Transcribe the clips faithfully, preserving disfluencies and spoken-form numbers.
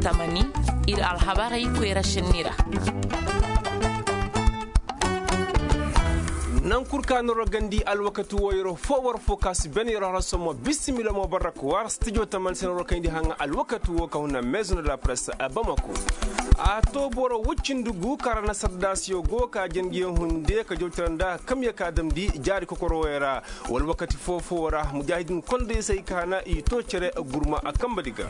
Tamani, ir alhabarey koyra šenni ra. Naŋ kul ka na rogandi alwakati wo yer fo war fo ka si ben yer horoso mo bisimila mo barrak war stijo tamani se na rokayndi haŋa alwakati wo ka huna maison de la presse a bamako. A to boro wucindi gu kara na sardaasiyo go ka jangiyo hunde ka jawtira nda kamya ka damndi jaari kokoro wo yer ra. Wala wakati foo-foo ra mujaahidin kondey se ay ka na i to cere gurma a kamba di ga.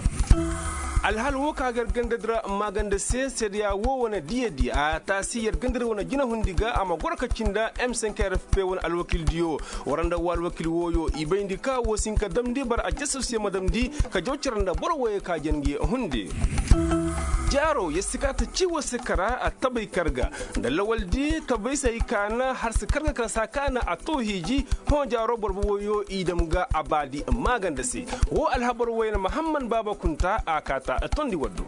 Alhal woo ka ga yer ganda di ra maaganda se seedeya woo wane diya di a taasi yer ganda di wane jinahundi ga a ma goro ka cindi m cinq r f p wane alwakil diyo. War nda woo alwakil wooyo i bayndi ka woo si hin ka damndi bara aljasasuyaŋ ma damndi ka jaw cere nda boro wooyo ka jangi hunde. Jaaro yer si ka ta cii war se kara a tabay karga nda lawal di tabay se ay ka na har se karga kara saa ka na a too hiiji. Hõ jaaro boro boboyo i dam ga a baadi maaganda se. Woo alhabar wayna mahamman baaba kunta a kaata tondi waddu.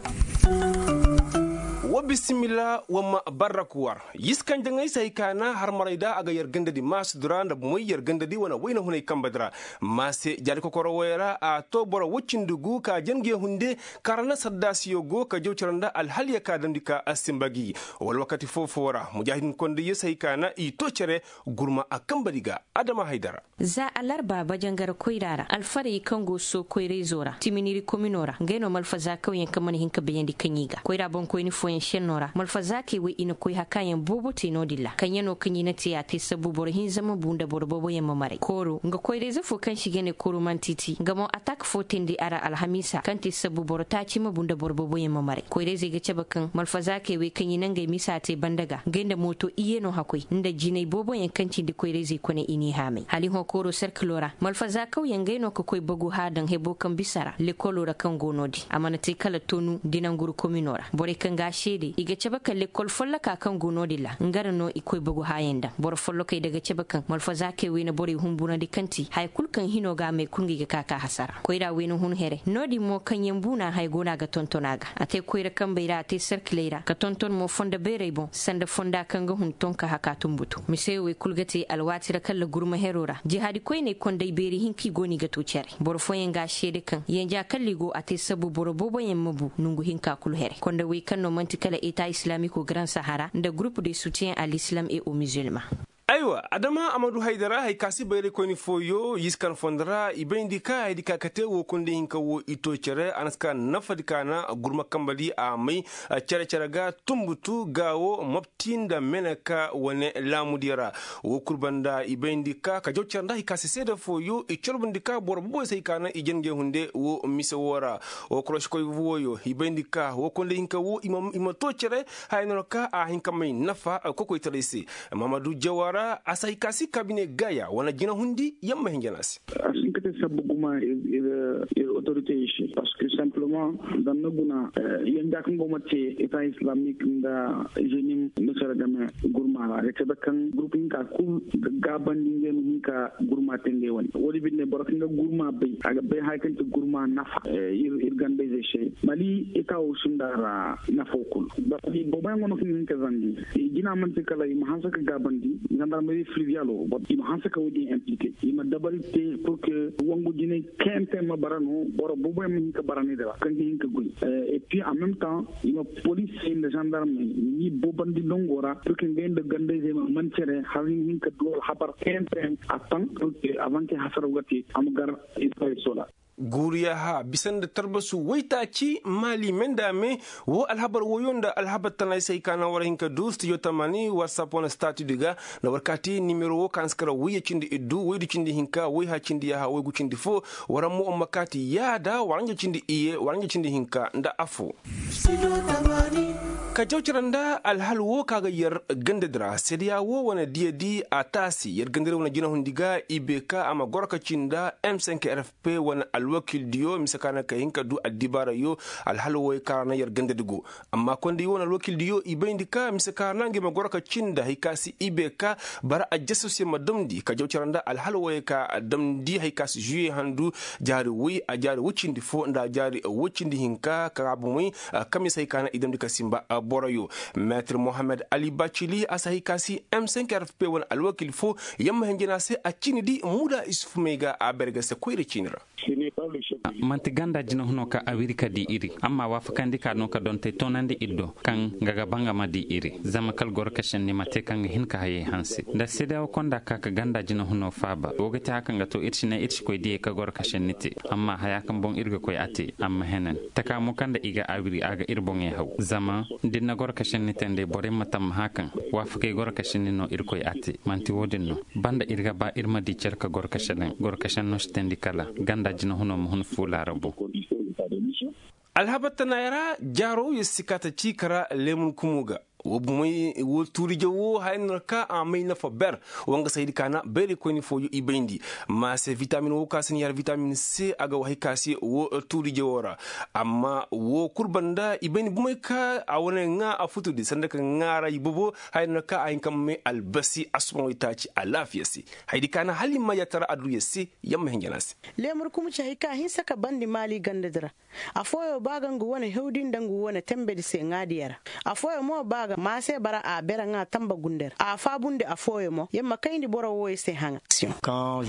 Wa bisimila wa ma barrak war. Yiskan jaŋay se hay ka na har maray da a ga yer ganda di maasi dura nda bomoy yer ganda di wane wayna hunay kamba dira. Maase jaari kokoro wayra a to boro wacindi gu ka jange hunde. Kara na sardaasiyo go ka jaw cara nda alhaliya ka damndi ka a simba gi. Wala wakati foo-foo ra mujaahidin kondayyo se hay ka na i to cere. Gurma a kamba di ga adama haydara. Za alarba bajangar koyra ra alfarey kaŋ go soo koyrayzo ra timiniri komino ra ngey no malfazaakawyaŋ kaŋ mana hin ka bayandi kaŋ i ga koyra boŋkoyni fooyaŋ šenno ra malfazaakey wey i na koy hakaayaŋ boobo te no-din ra kaŋ ya no kaŋ i na te a te sabbu boro hinza ma bu nda boro booboyaŋ ma maray kooro nga koyrayze foo kaŋ se i ga ne kooro mantiti nga mo atak foo teendi a ra alhamiisa kaŋ te sabbu boro taaci ma bu nda boro booboyaŋ ma maray koyrayzey ga cabe kaŋ malfazaakey wey kaŋ i na ngey misa te banda ga ngey nda mooto iyye no hakoy nda jinay booboyaŋ kaŋ cindi koyrayzey kone i n'i haamay hala i hõ kooro serkilo ra malfazaakawyaŋ ngey no ka koy bagu haa daŋ hebo kaŋ bisa ra lekolo ra kaŋ go no-din a mana te kala tonu di nanguru komino ra borey kaŋ ga a seede i ga cabe kaŋ lekol folloka kaŋ go no-din ra nga ra no i koy bagu haayaŋ daŋ boro follokey da ga cabe kaŋ malfazaakey wey na borey humburandi kaŋ ti haya kul kaŋ hino ga a may kul nga i ga ka ka hasara koyra wey na hun here no-din mo kaŋyaŋ buuna haya go no a ga tonton a ga a te koyra kambey ra a te serkiley ra ka tonton mo fondo beerey boŋ sanda fonda kaŋ ga hun tonka haka tumbutu mise wey kul ga te alwaati ra kalla gurma hero ra jihaadi koyney konday beeri hinka i go no i ga to cere boro fooyaŋ ga a seede kaŋ yanja kalla i go a te sabbu boro booboyaŋ ma bu nongu hinka kul here konda wey kaŋ no man'ti kala eta islamiko garan sahara nda gurupu de soutiyen a l'islam et au musulman. Aywa adama amadu haydara hari ka si bayraykoyni fooyo yiskan fondo ra i bayndi ka haydi ka kate woo konday hinka woo i to cere a na si ka nafadi ka na gurma kambadi a may cere-cere ga tumbutu gaawo mabti nda meneka wane laamudiyo ra. Woo kul banda i bayndi ka ka jaw cere nda hari ka si seede fooyo i corbundi ka boro boboy se hari ka na i jangey hunde woo mise woo ra. Woo korošikoy wooyo i bayndi ka woo konday hinka woo i ma to cere haya no ka a hin ka may nafa kokoytaray se. Mahamadu jawara a si hay ka si kabine gaya wane jinahundi yamma hinja no a se. A si hin ka te sabbu guma ir otoritey se parceque simplement zama ni guna yanja kaŋ go ma te eta islamik nda jenim misira game gurma ra ga cabe kaŋ gurupu hinka kul ga gaabandi ngey ma hin ka gurma te ngey wane woodi binde boro kaŋ ga gurma bay a ga bay haya kaŋ ti gurma nafa ir gandayzey se mali eta wo sinda ra nafo kul boro di booboyaŋ go no kaŋ ga hin ka zangu jina man'ti kala i ma hanse ka gaabandi zandarmeri filivial wo i ma hanse ka woodin implike i ma dabari te purke wangu jinay kayante ma bara no boro booboyaŋ ma hin ka bara ne dira kaŋ ga hin ka goy et puis en meme temps i ma polisey nda zandarmey ni boobandi nango ra purke ngey nda gandayzey ma man cere har ni ma hin ka du alhabar kayante a taŋ purke avant ke hasaraw ga te a ma gar. Guuriya ha bisa nda tarbasu waytaaci maali me nda a me. Woo alhabar woyo nda alhabar tana ay se hay ka naŋ war hin ka du stijo tamani warsap wane stati di ga nda war kaati nimero woo ka na si kara wayye cindi iddu waydu cindi hinka wayha cindi yaaha waygu cindi foo. War mo war ma kaati yaada war nga cindi iyye war nga cindi hinka nda affoo. Ka jaw cere nda alhal woo ka ga yer ganda di ra seedeya woo wane diya di a taasi yer ganda di ra wane jinahundi ga i bee ka a ma goro ka ci nda m cinq r f p wane alwakildiyo mise ka na ka hin ka du addibaarayo. Alhal wooyo ka ra na yer ganda di go amma konda i wane alwakildiyo i bayndi ka mise ka ra na ngey ma goro ka ci nda hari ka si i bee ka bara aljasasuyaŋ ma damndi ka jaw cere nda alhal wooyo ka damndi hari ka si juye handu jaari woy a jaari woy cindi foo nda a jaari woy cindi hinka ka ra bomey. Kaŋ mise hari ka na i damndi ka sinba. Boroyo, meetir mohammed ali bacili a si hay ka si m cinq r f p wane alwakil fo. Yamma hinjina se a ciini di muda isuf may ga a berga se koyra ciini ra. Manti ganda jinahuno ka a wiri ka di iri amma waafakandi ka no ka dontey toonandi iri do kaŋ nga ga ba nga ma di iri. Zama kala goro ka senni ma te kaŋ ga hin ka hayey hanse nda seedeyawo konda ka ka ganda jinahuno faaba wo ga te haka nga to iri si ne iri si koy diyey ka goro ka senni te. Amma haya kaŋ boŋ iri ga koy a te amma henen taka mo kaŋ nda i ga a wiri a ga iri boŋey haw zama da iri na goro ka senni te nd'ey borey ma tammaha kaŋ waafakey goro ka senni no iri koy a te. Manti wo-din no banda iri ga ba iri ma di care ka goro ka senen goro ka senno si teendi kala ganda jinahuno ma hun fuula ra boŋ. Alhabar tanaayey ra jaaro yer si ka ta ciika ra leemun kumo ga. Wo tuuriije wo haya no ra ka a may nafa ber. Wa nga saydi kaana bayraykoyni fooyo i bayndi maase vitamin wo ka si ni har vitamin c a ga hay ka se wo tuuriije wo ra. Amma wo kul banda i bayndi bumey ka a wane ŋaa a futudi sanda ka ŋaara i bobo. Haya no ra ka a hin ka may albasi asuban waytaaci alaafiya se. Haydi kaana hala i ma yaatara adduya se. Yamma hinjana se. Leemur kuma ci hay ka hinsa ka bandi maali gandadi ra. Afooyo ba ga ngu wane hewdi nda ngu wane tembedi se ŋaadiya ra. Afooyo mo ba ga maase bara a bere ŋaa tamba gundey ra a faabundi afooyo mo yer ma kayndi boro wooyo se haŋa.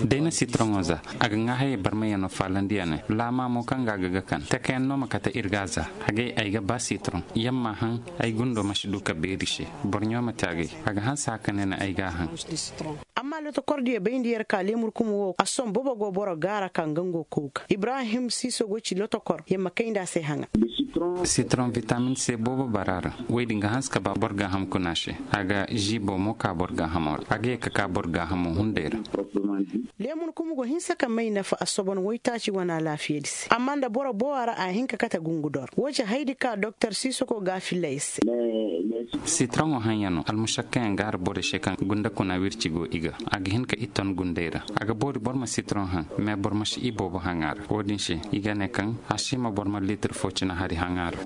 Day na sitoroŋo za a ga ŋaa hayey barmayano faalandi ya ne laama mo kaŋ ga a ga ga kan takayaŋ no ma kate ir ga a za. Hagay ay ga ba sitoroŋ yer ma haŋ. Ay gundo ma si du ka beeri se. Borɲo ma te a gay a ga hanse haka ne na ay ga a haŋ. Amma lotokordiyo bayndi yer ka leemur kuma wo a sohõ boobo go boro gaara ka nga ngo kow ga ibrahim siiso go ci lotokor yer ma kayndi a se haŋa. Sitoroŋ vitamin se boobo bara ra. Woy din ga hanse ka ba boro gaaham kuna se. A ga ziibo mo ka boro gaahamo ra a ga ye ka ka boro gaahamo hunday ra. Leemur kuma go hinsa ka may nafa a sobon woytaaci wane alaafiyadi se amma nda boro boowa ra a hin ka kate gungudor wo ci haydi ka doktor siiso go ga a filla yer se. Sitoroŋo haŋ ya no almušakkayaŋ gaara borey se kaŋ gunda kuna wirci go i ga. A ga hin ka i ton gunday ra. A ga boori boro ma sitoroŋ haŋ mais boro ma si i boobo haŋ a ra wo-din se i ga ne kaŋ a si hima boro ma liitir fo cina hari haŋ a ra.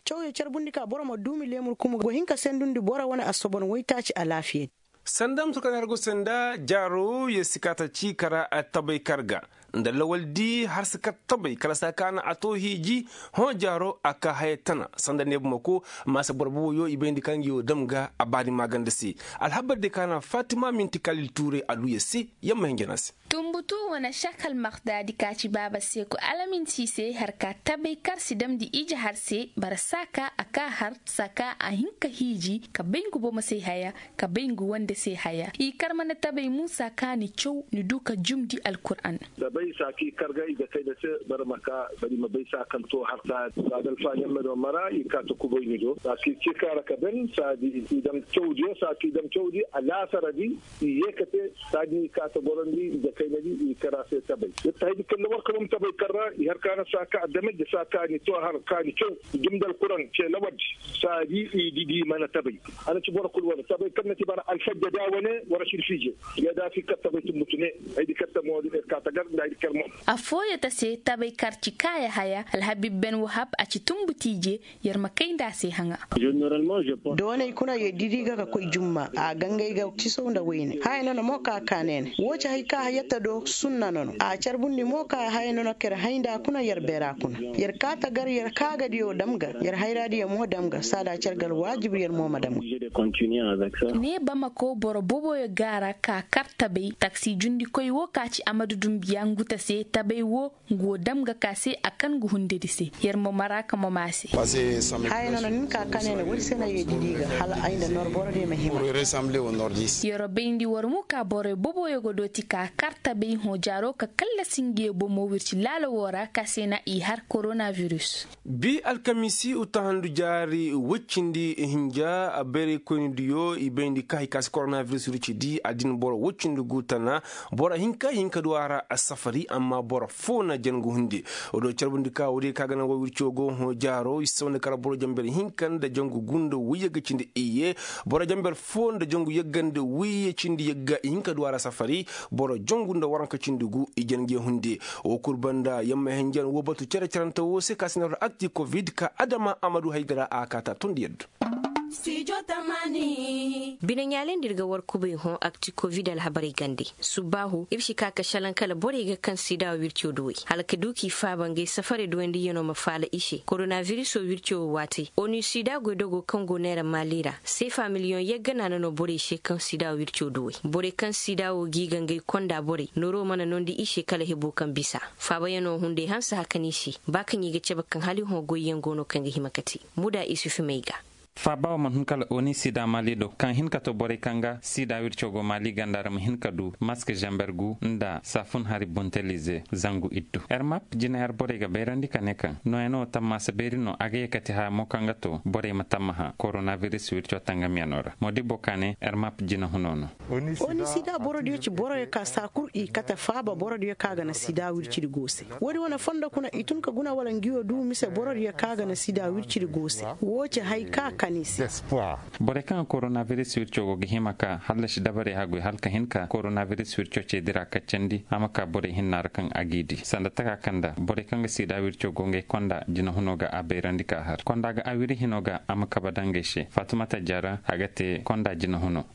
Cawyo carbundi ka boro ma duumi leemur kuma go hin ka sendundi boro wane asobon waytaaci alaafiyadi. Sanda musu kaŋ har go sanda jaaro yer si kaata ci kara tabay kar ga nda lawaldi har si kar tabay kala saa kaana a to hiiji. Hõ jaaro a ka haya tana sanda neebumako maasa boro boboyo i bayndi kaŋ nga yo dam ga a baani maaganda se. Alhabar di kaana fatima minti kalil tuuray aduya se. Yamma hinjana se. Tumbutu wane šakal maktadi ka ci baaba seeku alaminsi se har ka tabay kar si damndi ije har se bara saa ka a ka har saa ka a hin ka hiiji ka bay ngu bomo se haya ka bay ngu wande se haya i kar mana tabay muusa ka ni caw ni du ka jumndi alkur'an. Tabay saa ka i kar ga i ga kay nda se bara ma ka bara i ma bay saa kaŋ to har saa. Saa da alfaaɲammedo mara i ka ta kubay ni do saa ka i cika ra ka ben saa di i dam cawdiyo saa ka i dam cawdi alaasara di. I ye ka te saa di i ka ta gorondi i ga kay nda di i kar a se tabay. Yer ta hay di kaŋ lawar ka bam tabay kar ra i har ka na saa ka a dame da saa ka ni to har ka ni caw i dum da alkur'an ce lawar di. Saa di i di di mana tabay. Ana ci boro kul wane tabay kaŋ na ci bara alfajja da wane wara sirfiije. Yadda a si kar tabay tumbutu ne. Ay di kar ta mo di kar ta gar nda ay di kar mo. Afooyo ta se tabay kar ci kaaya haya alhabib ben wahab a ci tumbutu ije. Yer ma kay nda a se haŋa. Doonay kuna yer didi ga ka koy jumma a gangay ga cisaw nda wayne haya nono mo ka ka neene wo ci hay ka yatta do sunna nono a carbundi mo ka haya nono ka yer hay nda kuna yer beera kuna. Yer kaata gar yer kaagadiyo dam ga yer hayraadiyo mo dam ga saada cer ga alwaajib yer mo ma dam ga. Ne bamako boro boboyo gaara ka kar tabay taksi jundikoy wo ka ci amadu dumbiya nguta se tabay wo ngu wo dam ga ka se a kan ngu hundedi se. Yer mo mara ka mo maa se. Haya nono nin ka kane na woodi se na yeedi di ga hala ay nda nor boro de ma hima. Yero bayndi war mu ka boroy boboyo ga dooti ka kar tabay hõ jaaro ka kallasi ngiye bomo wirci laala wo ra ka se na i har koronavirus. Bi alkamiisi uttahandu jaari woy cindi hinja bayraykoynidiyo i bayndi ka hay ka si koronavirus wirci di addin boro woy cindi gu tana. Boro hinka hinka du a ra a safari amma boro fo na jangu hunde. Wo do carbundi ka wo day ka ga naŋ wo wirco go hõ jaaro i si saw nda kala boro jamber hinka nda jangu gu nda woy yagga cindi iyye. Boro jamber fo nda jangu yagga nda woy cindi yagga i hinka du a ra safari. Boro jangu nda waranka cindi gu i jange hunde. Wo kul banda yamma henjan wo batu cere cerante wo se ka si na ra akti covid ka adama amadu haydara a kaata tondi yadda. Bine ɲaalindi ir ga war kubay hõ akti kovid alhabarey gande. Subbaahu ir si ka ka šalaŋ kala borey ga kaŋ sida wirco duwey hala ka du k'i faaba ngey safarey duwandiyano ma faala i se koronabiriso wirco wo waati onu sida goydogo kaŋ go neera maali ra seefa miliyoŋ yagga naana no borey se kaŋ sida wirco duwey borey kaŋ sida wo g'i ga ngey konda borey nooro mana noondi i se kala hebo kaŋ bisa. Faabayano hunday hanse hakani se ba kaŋ i ga cabe kaŋ hala i hõ goyyaŋ go no kaŋ ga hima ka te. Muda isufi may ga. Faaba wo mana hun kala oni sida maali do kaŋ hin ka to borey kaŋ ga sida wirco go maali ganda ra ma hin ka du mask zamber gu nda saafun hari buntelize zangu iddu. Yer map jina yer borey ga bayrandi ka ne kaŋ nooyaŋo tammaasa beeri no a ga ye ka ti haya mo kaŋ ga to borey ma tammaha koronabiris wirco tangamyaŋo ra moodibbo ka ne yer map jina huno no. Oni sida borodiyo ci boroyo ka saa kul i kate faaba borodiyo ka ga na sida wircidi go se. Woodi wane fondo kuna i tun ka guna wala ngiyo du mise borodiyo ka ga na sida wircidi go se. Woo ci hay ka kani i se. Borey kaŋ ga koronabiris wirco go ga hima ka hallasi dabarey haggoy hala ka hin ka koronabiris wirco ceedi ra kaccandi a ma ka borey hinna ra kaŋ a g'i di sanda taka kaŋ nda borey kaŋ ga sida wirco go ngey konda jinahuno ga a bayrandi ka har konda ga a wiri hino ga a ma kaba daŋ ngey se fatumata jara a ga te konda jinahuno.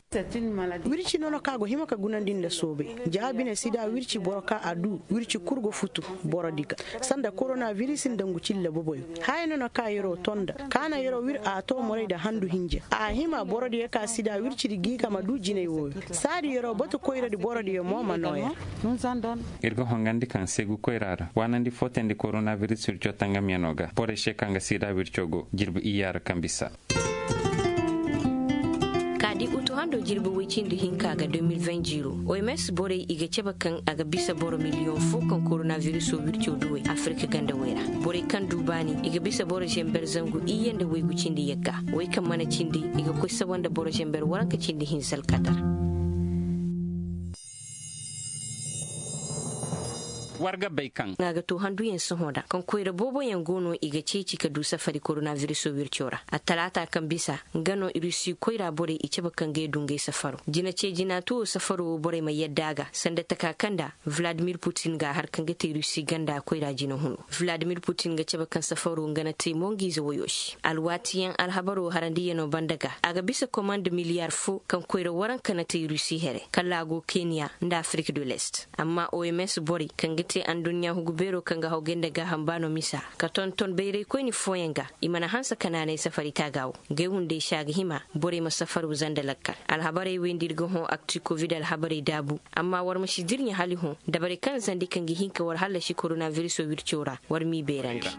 Wirci nono kaŋ a go hima ka gunandi nda soobay ja bine sida wirci boro kaŋ a du wirci kul go futu borodi ga sanda koronabiris nda ngu cilla boboyo. Haya nono kaŋ yer'o to nda kaŋ a na yer'o wir a to morey nda handu hinja a hima borodiyo kaŋ sida wircidi g'i ga ma du jinay wooyo. Saadi yer'o batu koyradi borodiyo mo ma noo yer. Ir ga hongandi kaŋ seegu koyra ra waanandi footandi koronabiris wirco tangamyaŋo ga borey se kaŋ ga sida wirco go jirbi iyya ra kaŋ bisa. Ka di utu hando jirbi woy cindi hinka ga deux mille vingt ziro oms borey i ga cabe kaŋ a ga bisa boro miliyoŋ fo kaŋ koronabiriso wirco duwey afirika gandawey ra. Borey kaŋ du baani i ga bisa boro zamber zangu iyye nda waygu cindi yagga. Wey kaŋ mana cindi i ga koy sawa nda boro zamber waranka cindi hinza alkadar. War ga bay kaŋ a ga to handuyaŋ sohõ ra kaŋ koyra booboyaŋ go no i ga ceeci ka du safari koronabiriso wirco ra attalaata kaŋ bisa nga no rusi koyra borey i cabe kaŋ ga ye du ngey safaro jina ce jina tuwo safaro wo borey ma yadda a ga sanda taka kaŋ nda vladimir putin ga a har kaŋ ga te rusi ganda koyra jina huno. Vladimir putin ga cabe kaŋ safaro nga na te mo nga ize woyo se alwaatiyaŋ alhabaro harandiyaŋo banda ga a ga bisa komand miliyar fo kaŋ koyra waranka na te rusi here kala a go keniya nda afirik du lest. Amma oms borey kaŋ ga te adduɲɲa hugu beero kaŋ ga hawgay nda gaaham baano misa ka tonton bayraykoyni fooyaŋ ga i mana hanse ka naanay safari taaga wo. Ngey hunday se a ga hima borey ma safar wuzanda lakkal. Alhabarey wey nda ir ga hõ akti kovid alhabarey daabu. Amma war ma si dirɲa hala i hõ dabarey kaŋ zandi kaŋ ga hin ka war hallasi koronabiriso wirco ra war m'i beerandi.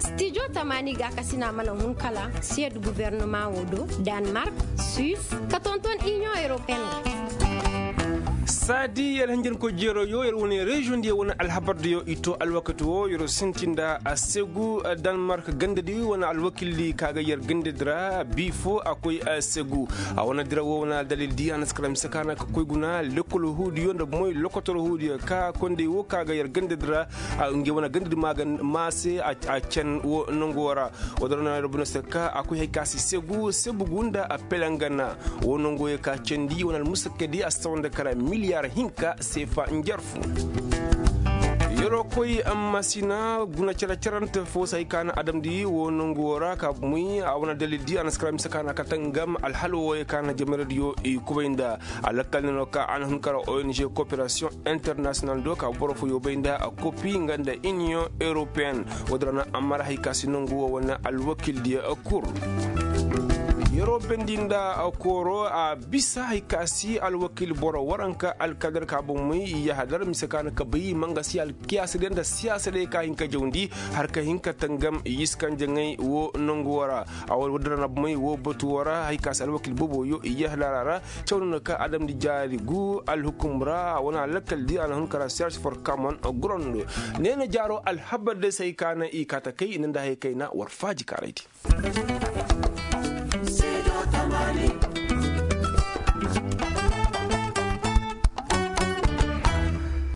Stijo tamaani gaakasina mana hun kala siyed gubernama wo do, danmark, suis, ka tonton inion europeen. Saadi yer hinjankoy jeeroo yo yer wane reziyoŋ diyo wane alhabar diyo i to alwakati wo yer sinti nda a segu, danmark gandadi wane alwakildi ka ga yer gandadi ra bi fo a koy a segu. A wane dira wo wane aldalil di a na si kala mise ka na ka koy guna lekkol huudiyo nda moy lokotor huudiyo ka kondey wo ka ga yer gandadi ra. Ngey wane gandadi ma se a can wo nango ra. Woo din ra no yer buna se ka a koy hay ka si segu sebu gu nda a pelengana. Wo nango ye ka candi wane almusakkadi a si sawa nda kala miliyar hinka seefa njarfu. Yer'o koy amma sina guna care carante fo se hay ka na adamdi wo nango ra ka bumey a wane dalildi a na si kala mise ka na ka tangam alhalo wo ye ka na jamaradiyo i kubay nda. Alakal ne no ka a na hun kara ong koperasiyoŋ internasiyonal do ka boro fo yoobay nda a kopi nga nda iniyoŋ europeen. Woo din ra no amma ra hay ka si nangu wo wane alwakildiyo kul. Yer'o bendi nda kooro a bisa hay ka si alwakil boro waranka alkadar ka bomey i yahadar mise ka na ka bay mangasi alkiyaasadiyo nda siyaasadiyo ka hin ka jawndi har ka hin ka tangam yiskanja ŋay wo nangu wo ra. A woo din ra no bomey wo batu wo ra hay ka si alwakil booboyo i yahadar a ra. Caw no na ka adamdi jaari gu alhukum ra a wane alakal di a na hun kara seersi forkamon gurando. Neena jaaro alhabar day se hay ka na i kaa ta kay i na nda hay kayna war faaji kaaraydi.